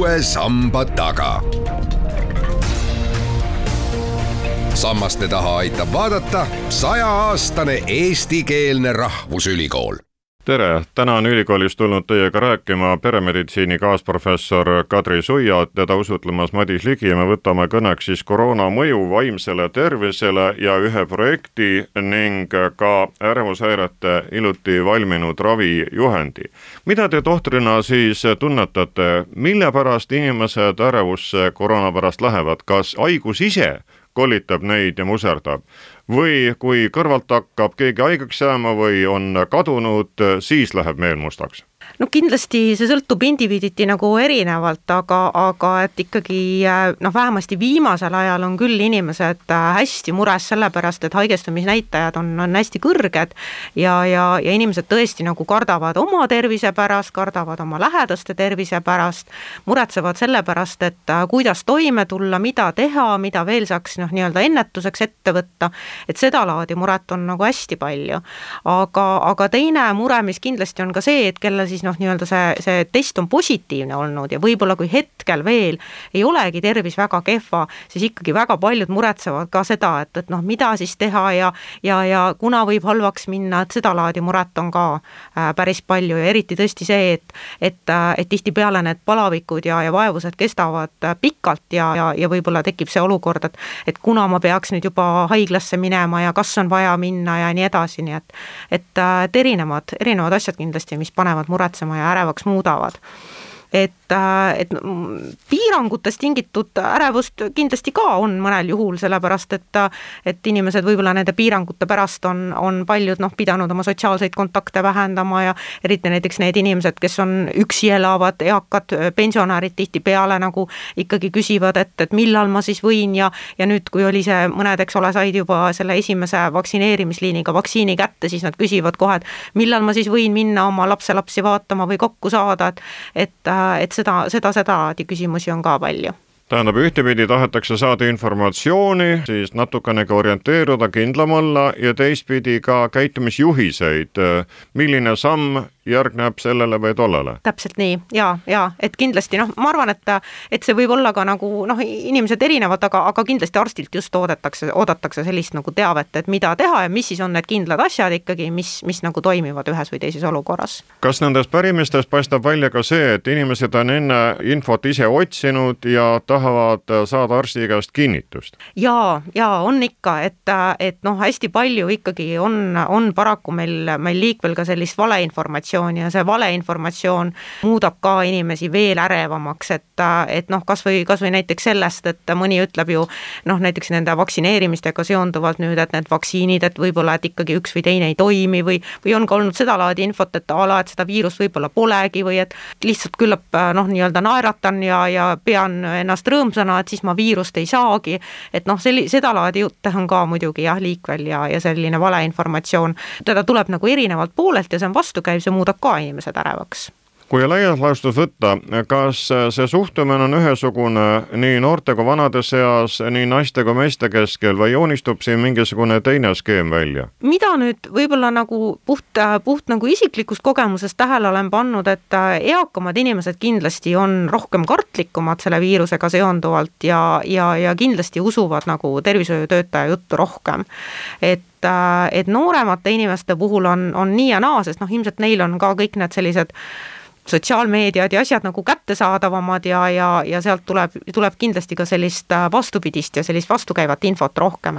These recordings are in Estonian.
uue samba taga. Sammaste taha aitab vaadata 100-aastane eestikeelne rahvusülikool. Tere! Täna on ülikoolist tulnud teiega rääkima peremeditsiini kaasprofessor Kadri Suia, teda usutlemas Madis Ligi ja me võtame kõneks siis koroona mõju vaimsele tervisele ja ühe projekti ning ka ärevushäirete iluti valminud ravijuhendi. Mida te tohtrina siis tunnetate, mille pärast inimesed ärevusse koroona pärast lähevad? Kas haigus ise kollitab neid ja muserdab? Või kui kõrvalt hakkab keegi haigeks jääma või on kadunud, siis läheb meel mustaks? No kindlasti see sõltub indiviiditi nagu erinevalt, aga et ikkagi vähemasti viimasel ajal on küll inimesed hästi mures sellepärast, et haigestumisnäitajad on hästi kõrged ja inimesed tõesti nagu kardavad oma tervise pärast, kardavad oma lähedaste tervise pärast, muretsevad selle pärast, et kuidas toime tulla, mida teha, mida veel saaks nii-öelda ennetuseks ette võtta, et seda laadi muret on nagu hästi palju. Aga teine mure, mis kindlasti on ka see, et kelle siis nii-öelda see test on positiivne olnud ja võib-olla kui hetkel veel ei olegi tervis väga kehva, siis ikkagi väga paljud muretsevad ka seda, et mida siis teha ja kuna võib halvaks minna, et seda laadi muret on ka päris palju ja eriti tõesti see, et tihtipeale need palavikud ja vaevused kestavad pikalt ja võib-olla tekib see olukord, et kuna ma peaks nüüd juba haiglasse minema ja kas on vaja minna ja nii edasi, nii et erinevad asjad kindlasti, mis panevad muretsema ja ärevaks muudavad. Et piirangutest tingitud ärevust kindlasti ka on mõnel juhul, sellepärast et inimesed võib-olla nende piirangute pärast on paljud pidanud oma sotsiaalseid kontakte vähendama ja eriti näiteks need inimesed, kes on üksi elavad, eakad pensionärid tihtipeale nagu ikkagi küsivad, et millal ma siis võin ja nüüd, kui oli see mõned, eks ole, said juba selle esimese vaktsineerimisliiniga vaktsiini kätte, siis nad küsivad kohe, et millal ma siis võin minna oma lapselapsi vaatama või kokku saada, et seda küsimusi on ka palju. Tähendab, ühtepidi tahetakse saada informatsiooni, siis natukenegi orienteeruda, kindlam olla ja teistpidi ka käitumisjuhiseid. Milline samm järgneb sellele või tollele? Täpselt nii, ja et kindlasti, ma arvan, et see võib olla ka nagu, inimesed erinevad, aga kindlasti arstilt just oodatakse sellist nagu teavet, et mida teha ja mis siis on need kindlad asjad ikkagi, mis nagu toimivad ühes või teises olukorras. Kas nendest pärimistest paistab välja ka see, et inimesed on enne infot ise otsinud ja tahavad saada arsti käest kinnitust? Ja on ikka, et hästi palju ikkagi on paraku meil liikvel ka sellist valeinformatsiooni ja see valeinformatsioon muudab ka inimesi veel ärevamaks, et kas või näiteks sellest, et mõni ütleb ju näiteks nende vaktsineerimistega seonduvalt nüüd, et need vaktsiinid, et võib-olla et ikkagi üks või teine ei toimi või on ka olnud seda laadi infot, et seda viirust võib-olla polegi või et lihtsalt küllap nii-öelda naeratan ja pean ennast rõõmsana, et siis ma viirust ei saagi, et seda laadi jutte on ka muidugi liikvel ja selline valeinformatsioon, teda tuleb nagu erinevalt poolelt ja see on vastukäiv, see muudab ka inimesed ärevaks. Kui laias laastus võtta, kas see suhtumine on ühesugune nii noorte kui vanade seas, nii naiste kui meeste keskel või joonistub siin mingisugune teine skeem välja? Mida nüüd võib-olla nagu puht nagu isiklikust kogemusest tähele olen pannud, et eakamad inimesed kindlasti on rohkem kartlikumad selle viirusega seonduvalt ja kindlasti usuvad nagu tervishoiutöötaja juttu rohkem. Et nooremate inimeste puhul on nii ja naa, sest ilmselt neil on ka kõik need sellised sotsiaalmeediad ja asjad nagu kättesaadavamad ja sealt tuleb kindlasti ka sellist vastupidist ja sellist vastukäivat infot rohkem,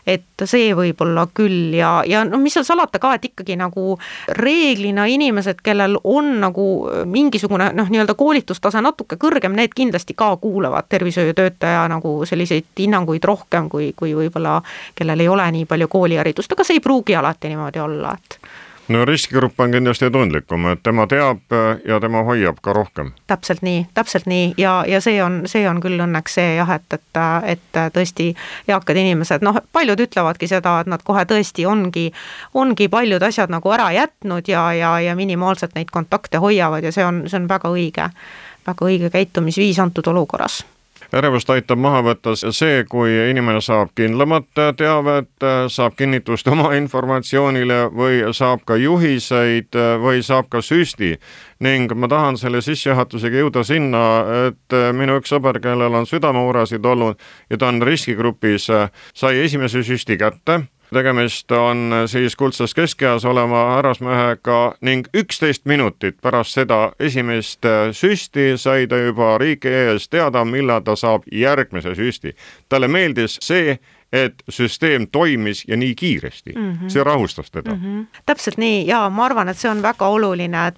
et see võib olla küll ja mis seal salata ka, et ikkagi nagu reeglina inimesed, kellel on nagu mingisugune nii-öelda koolitustase natuke kõrgem, need kindlasti ka kuulavad tervishoiutöötaja nagu selliseid hinnanguid rohkem kui võib-olla, kellel ei ole nii palju kooliharidust, aga see ei pruugi alati niimoodi olla, No riskigrupp on kindlasti tundlikum, et tema teab ja tema hoiab ka rohkem. Täpselt nii ja see on küll õnneks see et tõesti eakad inimesed, paljud ütlevadki seda, et nad kohe tõesti ongi paljud asjad nagu ära jätnud ja minimaalselt neid kontakte hoiavad ja see on väga õige käitumisviis antud olukorras. ärevust aitab maha võtta see, kui inimene saab kindlamat teavet, saab kinnitust oma informatsioonile või saab ka juhiseid või saab ka süsti. Ning ma tahan selle sissejuhatusega jõuda sinna, et minu üks sõber, kellel on südamemuresid olnud ja ta on riskigrupis, sai esimese süsti kätte. Tegemist on siis kuldses keskeas olema härrasmehega ning 11 minutit pärast seda esimest süsti sai ta juba riigi ees teada, millal ta saab järgmise süsti. Talle meeldis see, et süsteem toimis ja nii kiiresti. See rahustas teda. Täpselt nii, ja ma arvan, et see on väga oluline,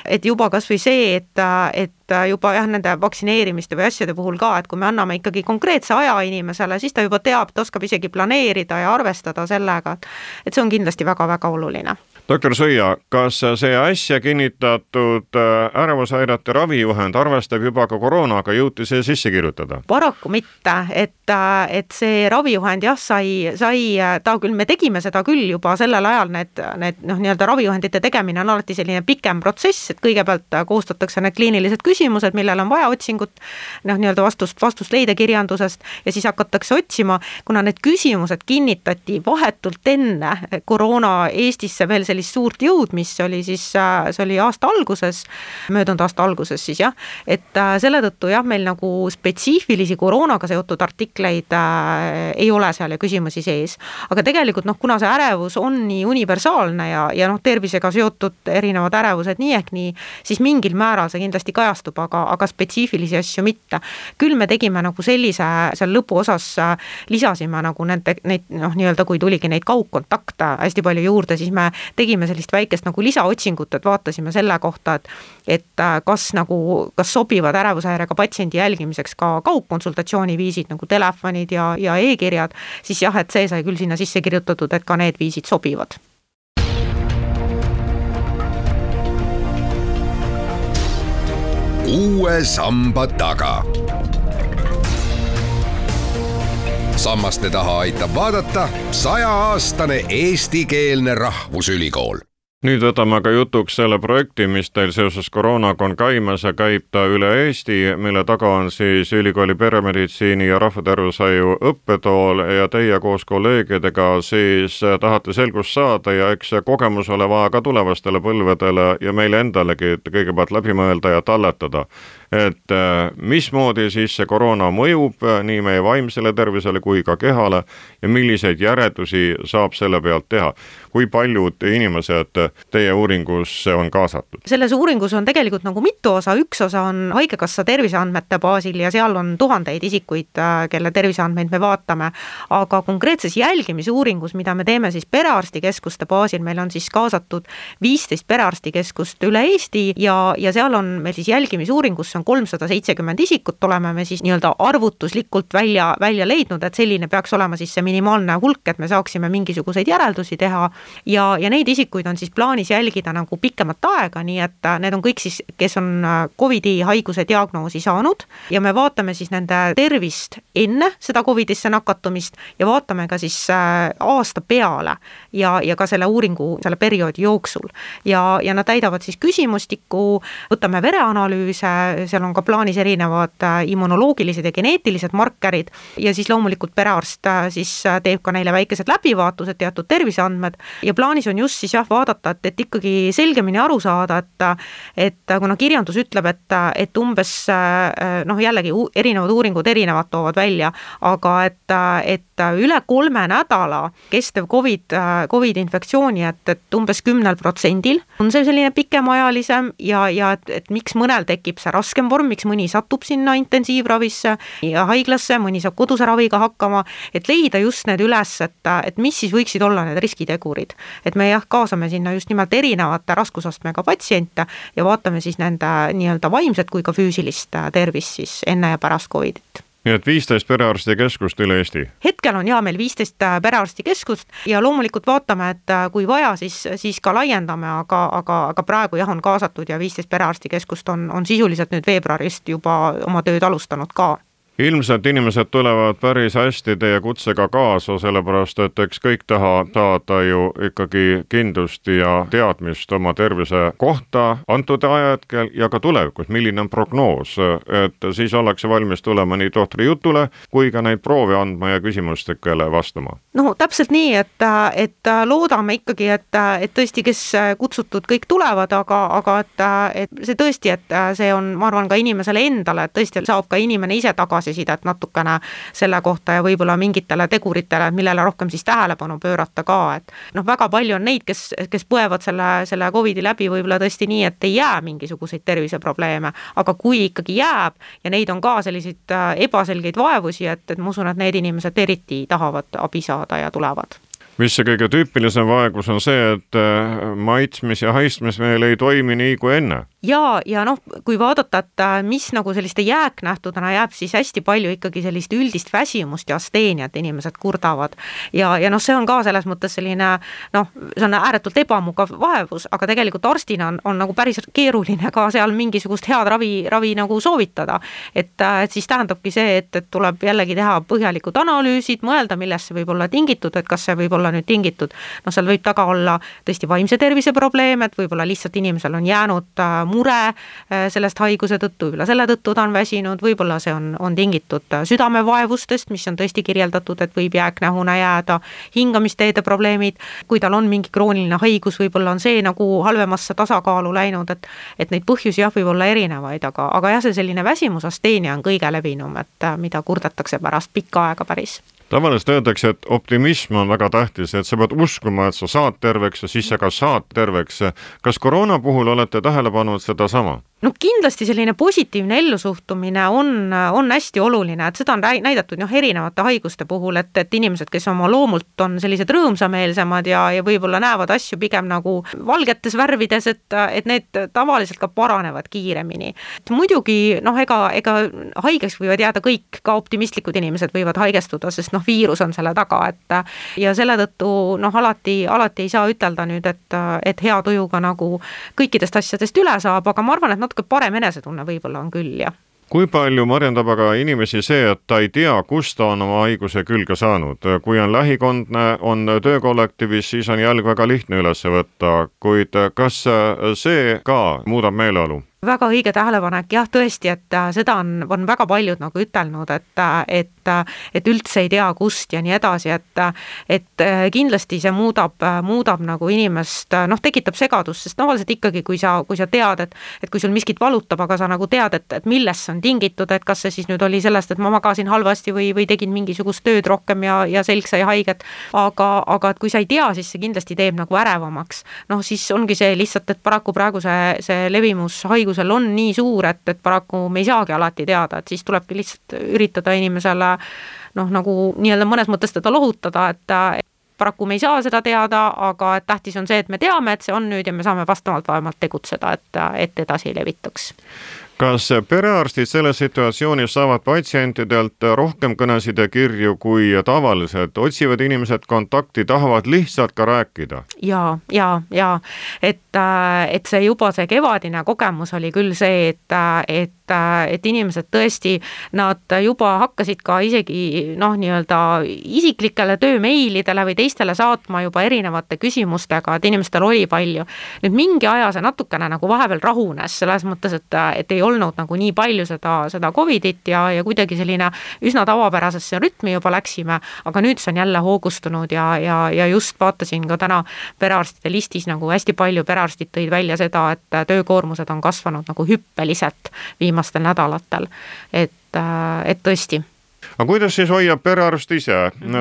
et juba kas või see, et juba nende vaktsineerimiste või asjade puhul ka, et kui me anname ikkagi konkreetse aja inimesele, siis ta juba teab, ta oskab isegi planeerida ja arvestada sellega, et see on kindlasti väga-väga oluline. Dr. Sõia, kas see äsja kinnitatud ärevushäirete ravijuhend arvestab juba ka koroonaga, jõuti see sisse kirjutada? Paraku mitte, et see ravijuhend sai, me tegime seda küll juba sellel ajal, need nii-öelda ravijuhendite tegemine on alati selline pikem protsess, et kõigepealt koostatakse need kliinilised küsimused, millel on vaja otsingut, nii-öelda vastust leida kirjandusest ja siis hakatakse otsima, kuna need küsimused kinnitati vahetult enne koroona Eestisse veel sellist suurt jõudmist, see oli möödunud aasta alguses siis jah, et selle tõttu jah, meil nagu spetsiifilisi koroonaga seotud artikleid ei ole seal ja küsimusi sees. Aga tegelikult kuna see ärevus on nii universaalne ja tervisega seotud erinevad ärevused nii ehk nii, siis mingil määral see kindlasti kajastub, aga spetsiifilisi asju mitte. Küll me tegime nagu sellise, seal lõpuosas lisasime nagu neid nii-öelda kui tuligi neid kaugkontakte hästi palju juurde, siis me tegime sellist väikest nagu lisaotsingut, et vaatasime selle kohta, et kas sobivad ärevushäirega patsiendi jälgimiseks ka kaugkonsultatsiooni viisid nagu telefonid ja e-kirjad, siis jah, et see sai küll sinna sisse kirjutatud, et ka need viisid sobivad. Uue samba taga. Sammaste taha aitab vaadata 100-aastane eestikeelne rahvusülikool. Nüüd võtame ka jutuks selle projekti, mis teil seoses koroonaga on käimas ja käib ta üle Eesti, mille taga on siis ülikooli peremeditsiini ja rahvatervishoiu õppetool ja teie koos kolleegidega siis tahate selgust saada ja eks kogemus ole vaja ka tulevastele põlvedele ja meile endalegi kõigepealt läbi mõelda ja talletada. Et mismoodi siis see koroona mõjub nii meie vaimsele tervisele kui ka kehale ja milliseid järeldusi saab selle pealt teha. Kui paljud inimesed teie uuringusse on kaasatud? Selles uuringus on tegelikult nagu mitu osa. Üks osa on Haigekassa terviseandmete baasil ja seal on tuhandeid isikuid, kelle terviseandmeid me vaatame. Aga konkreetses jälgimisuuringus, mida me teeme siis perearstikeskuste baasil, meil on siis kaasatud 15 perearstikeskust üle Eesti ja seal on meil siis jälgimisuuringus on 370 isikut, oleme me siis nii-öelda arvutuslikult välja leidnud, et selline peaks olema siis see minimaalne hulk, et me saaksime mingisuguseid järeldusi teha ja neid isikuid on siis plaanis jälgida nagu pikemat aega, nii et need on kõik siis, kes on COVID-i haiguse diagnoosi saanud ja me vaatame siis nende tervist enne seda COVID-isse nakatumist ja vaatame ka siis aasta peale ja ka selle uuringu, selle perioodi jooksul ja nad täidavad siis küsimustikku, võtame vereanalüüse, seal on ka plaanis erinevad immunoloogilised ja geneetilised markerid ja siis loomulikult perearst siis teeb ka neile väikesed läbivaatused, teatud terviseandmed ja plaanis on just siis jah vaadata, et ikkagi selgemini aru saada, et kuna kirjandus ütleb, et umbes jällegi erinevad uuringud erinevad toovad välja, aga et üle 3 nädala kestev COVID infektsiooni, et umbes 10% on see selline pikemaajalisem ja et miks mõnel tekib see raskem vorm, miks mõni satub sinna intensiivravisse ja haiglasse, mõni saab koduse raviga hakkama, et leida just need üles, et mis siis võiksid olla need riskitegurid. Et me kaasame sinna just nimelt erinevate raskusastmega patsiente ja vaatame siis nende nii-öelda vaimset kui ka füüsilist tervist siis enne ja pärast COVID-it. Nii et 15 perearstikeskust üle Eesti? Hetkel on meil 15 perearstikeskust ja loomulikult vaatame, et kui vaja, siis ka laiendame, aga praegu on kaasatud ja 15 perearstikeskust on sisuliselt nüüd veebruarist juba oma tööd alustanud ka. Ilmselt inimesed tulevad päris hästi teie kutsega kaasa, sellepärast et eks kõik taha saada ju ikkagi kindlust ja teadmist oma tervise kohta antud ajahetkel ja ka tulevikus, milline on prognoos, et siis ollakse valmis tulema nii tohtri jutule kui ka neid proovi andma ja küsimustikele vastama. No täpselt nii, et loodame ikkagi, et tõesti, kes kutsutud kõik tulevad, aga et see tõesti, et see on, ma arvan, ka inimesele endale, et tõesti saab ka inimene ise tagasisidet natukene selle kohta ja võib-olla mingitele teguritele, millele rohkem siis tähelepanu pöörata ka, et väga palju on neid, kes põevad selle COVID-i läbi võib-olla tõesti nii, et ei jää mingisuguseid terviseprobleeme, aga kui ikkagi jääb ja neid on ka selliseid ebaselgeid vaevusi, et ma usun, et need inimesed eriti tahavad abi saada ja tulevad. Mis see kõige tüüpilisem vaegus on see, et maitsmis ja haistmis meil ei toimi nii kui enne? Ja kui vaadata, et mis nagu selliste jääknähtudena jääb, siis hästi palju ikkagi sellist üldist väsimust ja asteeniat inimesed kurdavad. Ja see on ka selles mõttes selline, see on ääretult ebamugav vaevus, aga tegelikult arstina on nagu päris keeruline ka seal mingisugust head ravi nagu soovitada. Et siis tähendabki see, et tuleb jällegi teha põhjalikud analüüsid, mõelda, millest see võib olla tingitud, et kas see võib olla nüüd tingitud. Seal võib taga olla tõesti vaimse tervise probleem, et võib-olla lihtsalt inimesel on jäänud mure sellest haiguse tõttu, võib-olla selle tõttu ta on väsinud, võib-olla see on tingitud südamevaevustest, mis on tõesti kirjeldatud, et võib jääknähuna jääda, hingamisteede probleemid, kui tal on mingi krooniline haigus, võib-olla on see nagu halvemasse tasakaalu läinud, et neid põhjusi võib olla erinevaid, aga jah, see selline väsimusasteenia on kõige levinum, et mida kurdetakse pärast pikka aega päris. Tavaliselt öeldakse, et optimism on väga tähtis, et sa pead uskuma, et sa saad terveks ja siis sa ka saad terveks. Kas koroona puhul olete tähele pannud seda sama? Kindlasti selline positiivne ellusuhtumine on hästi oluline, et seda on näidatud erinevate haiguste puhul, et inimesed, kes oma loomult on sellised rõõmsameelsemad ja võib-olla näevad asju pigem nagu valgetes värvides, et need tavaliselt ka paranevad kiiremini. Muidugi, ega haigeks võivad jääda kõik, ka optimistlikud inimesed võivad haigestuda, sest viirus on selle taga, ja selle tõttu alati ei saa ütelda nüüd, et hea tujuga nagu kõikidest asjadest üle saab, aga ma arvan, et natuke parem enesetunne võib-olla on küll, jah. Kui palju marjendab aga inimesi see, et ta ei tea, kus ta on oma haiguse külge saanud? Kui on lähikondne, on töökollektiivis, siis on jälg väga lihtne üles võtta, kuid kas see ka muudab meeleolu? Väga õige tähelepanek, jah, tõesti, et seda on väga paljud nagu ütelnud, et üldse ei tea kust ja nii edasi, et kindlasti see muudab nagu inimest, tekitab segadust, sest tavaliselt ikkagi, kui sa tead, et kui sul miskit valutab, aga sa nagu tead, et millest see on tingitud, et kas see siis nüüd oli sellest, et ma magasin halvasti või tegin mingisugust tööd rohkem ja selg sai haiget, aga et kui sa ei tea, siis see kindlasti teeb nagu ärevamaks. Siis ongi see lihtsalt, et paraku praegu see levimus haigusel on nii suur, et paraku me ei saagi alati teada, et siis tulebki lihtsalt üritada inimesele nagu nii-öelda mõnes mõttes teda lohutada, et paraku me ei saa seda teada, aga tähtis on see, et me teame, et see on nüüd ja me saame vastavalt vähemalt tegutseda, et edasi ei levitaks. Kas perearstid selles situatsioonis saavad patsientidelt rohkem kõnesid ja kirju kui tavaliselt? Otsivad inimesed kontakti, tahavad lihtsalt ka rääkida? Ja. Et see juba see kevadine kogemus oli küll see, et inimesed tõesti, nad juba hakkasid ka isegi nii-öelda isiklikele töömeilidele või teistele saatma juba erinevate küsimustega, et inimestel oli palju. Nüüd mingi aja see natukene nagu vahepeal rahunes, selles mõttes, et ei olnud nagu nii palju seda COVID-it ja kuidagi selline üsna tavapärasesse rütmi juba läksime, aga nüüd see on jälle hoogustunud ja just vaatasin ka täna perearstide listis nagu hästi palju perearstid tõid välja seda, et töökoormused on kasvanud nagu hüppeliselt viimastel nädalatel, et tõesti. Aga kuidas siis hoiab perearst ise,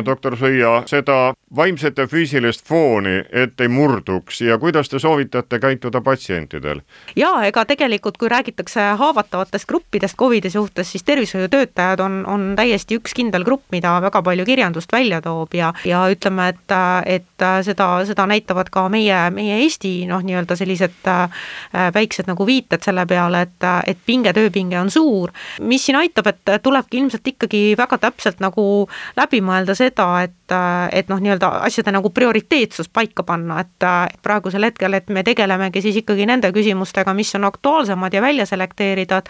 doktor Sõia, seda vaimset ja füüsilist fooni, et ei murduks ja kuidas te soovitate käituda patsientidel? Ega tegelikult, kui räägitakse haavatavatest gruppidest COVID-i suhtes, siis tervishoiutöötajad on täiesti üks kindel grupp, mida väga palju kirjandust välja toob ja ütleme, et seda näitavad ka meie Eesti nii-öelda sellised väiksed nagu viited selle peale, et tööpinge on suur. Mis siin aitab, et tulebki ilmselt ikkagi ikkagi väga täpselt nagu läbi mõelda seda, et noh, nii-öelda asjade nagu prioriteetsus paika panna, et praegusel hetkel, et me tegelemegi siis ikkagi nende küsimustega, mis on aktuaalsemad ja välja selekteerida,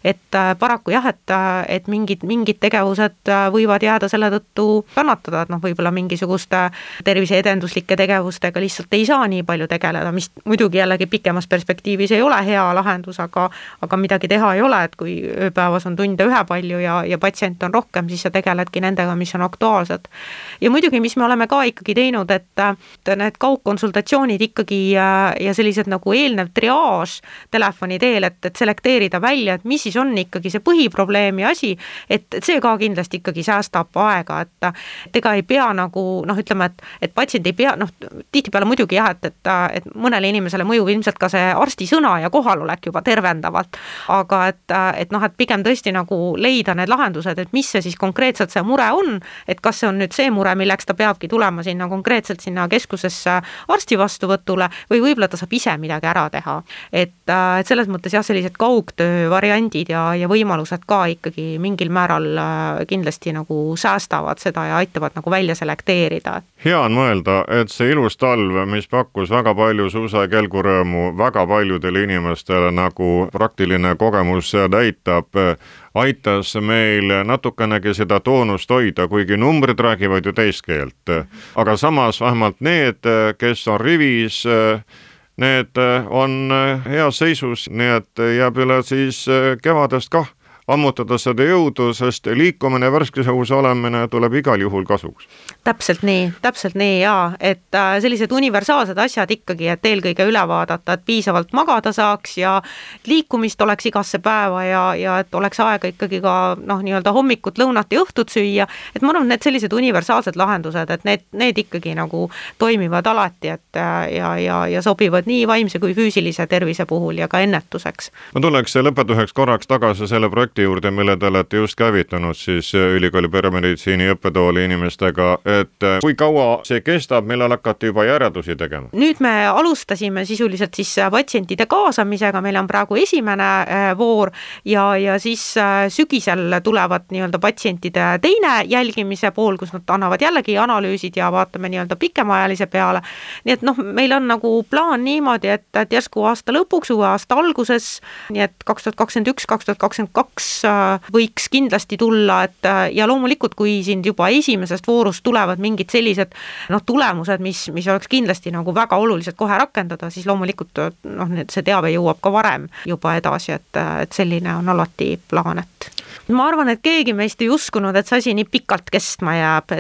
et paraku jah, et mingid tegevused võivad jääda selle tõttu kannatada, et noh, võib-olla mingisuguste terviseedenduslike tegevustega lihtsalt ei saa nii palju tegeleda, mis muidugi jällegi pikemas perspektiivis ei ole hea lahendus, aga midagi teha ei ole, et kui ööpäevas on tunde ühepalju ja patsient on rohkem, siis sa tegeledki nendega, mis on aktuaalsed. Ja muidugi, mis me oleme ka ikkagi teinud, et need kaugkonsultatsioonid ikkagi ja sellised nagu eelnev triaaž telefoni teel, et selekteerida välja, et mis siis on ikkagi see põhiprobleemi asi, et see ka kindlasti ikkagi säästab aega, et ega ei pea nagu noh, ütleme, et patsient ei pea, noh, tihtipeale muidugi jah, et mõnele inimesele mõjub ilmselt ka see arsti sõna ja kohalolek juba tervendavalt, aga et noh, et pigem tõesti nagu leida need lahendused, et mis see siis konkreetselt see mure on, et kas see on nüüd see mure, milleks ta peabki tulema sinna konkreetselt sinna keskusesse arsti vastuvõtule või võib-olla ta saab ise midagi ära teha. Et selles mõttes jah, sellised kaugtöö variandid ja võimalused ka ikkagi mingil määral kindlasti nagu säästavad seda ja aitavad nagu välja selekteerida. Hea on mõelda, et see ilus talv, mis pakkus väga palju suusa- ja kelgurõõmu väga paljudele inimestele, nagu praktiline kogemus näitab, aitas meil natukenegi seda toonust hoida, kuigi numbrid räägivad ju teist keelt. Aga samas vähemalt need, kes on rivis, need on heas seisus, nii et jääb üle siis kevadest kah ammutada seda jõudu, sest liikumine, värskes õhus olemine tuleb igal juhul kasuks. Täpselt nii jaa, et sellised universaalsed asjad ikkagi, et eelkõige üle vaadata, et piisavalt magada saaks ja liikumist oleks igasse päeva ja et oleks aega ikkagi ka noh, nii-öelda hommikut, lõunat ja õhtut süüa, et ma arvan, need sellised universaalsed lahendused, et need ikkagi nagu toimivad alati, et ja sobivad nii vaimse kui füüsilise tervise puhul ja ka ennetuseks. Ma tuleks lõpetuseks korraks tagasi selle projekti juurde, mille te olete just käivitanud siis ülikooli peremeditsiini õppetooli inimestega, et kui kaua see kestab, millal hakati juba järeldusi tegema? Nüüd me alustasime sisuliselt siis patsientide kaasamisega, meil on praegu esimene voor ja siis sügisel tulevad nii-öelda patsientide teine jälgimise pool, kus nad annavad jällegi analüüsid ja vaatame nii-öelda pikemaajalise peale. Nii et noh, meil on nagu plaan niimoodi, et järsku aasta lõpuks, uue aasta alguses, nii et 2021-2022 võiks kindlasti tulla, et ja loomulikult, kui siin juba esimesest voorust tulevad mingid sellised tulemused, mis oleks kindlasti nagu väga olulised kohe rakendada, siis loomulikult see teave jõuab ka varem juba edasi, et selline on alati plaan, et ma arvan, et keegi meist ei uskunud, et see asi nii pikalt kestma jääb,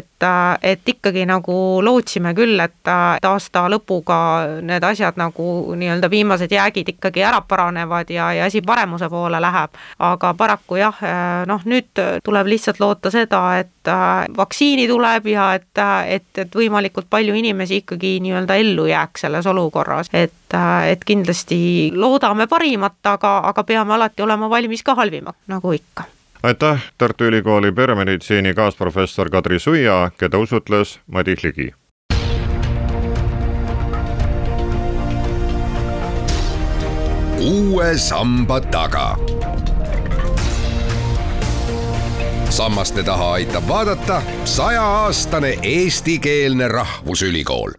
et ikkagi nagu lootsime küll, et aasta lõpuga need asjad nagu nii-öelda viimased jäägid ikkagi ära paranevad ja asi paremuse poole läheb, aga paraku jah, nüüd tuleb lihtsalt loota seda, et vaktsiini tuleb ja et võimalikult palju inimesi ikkagi nii-öelda ellu jääks selles olukorras, et kindlasti loodame parimat, aga peame alati olema valmis ka halvimaks, nagu ikka. Aitäh, Tartu Ülikooli peremeditsiini kaasprofessor Kadri Suia, keda usutles Madis Ligi. Uue samba taga. Sammaste taha aitab vaadata 100-aastane eestikeelne rahvusülikool.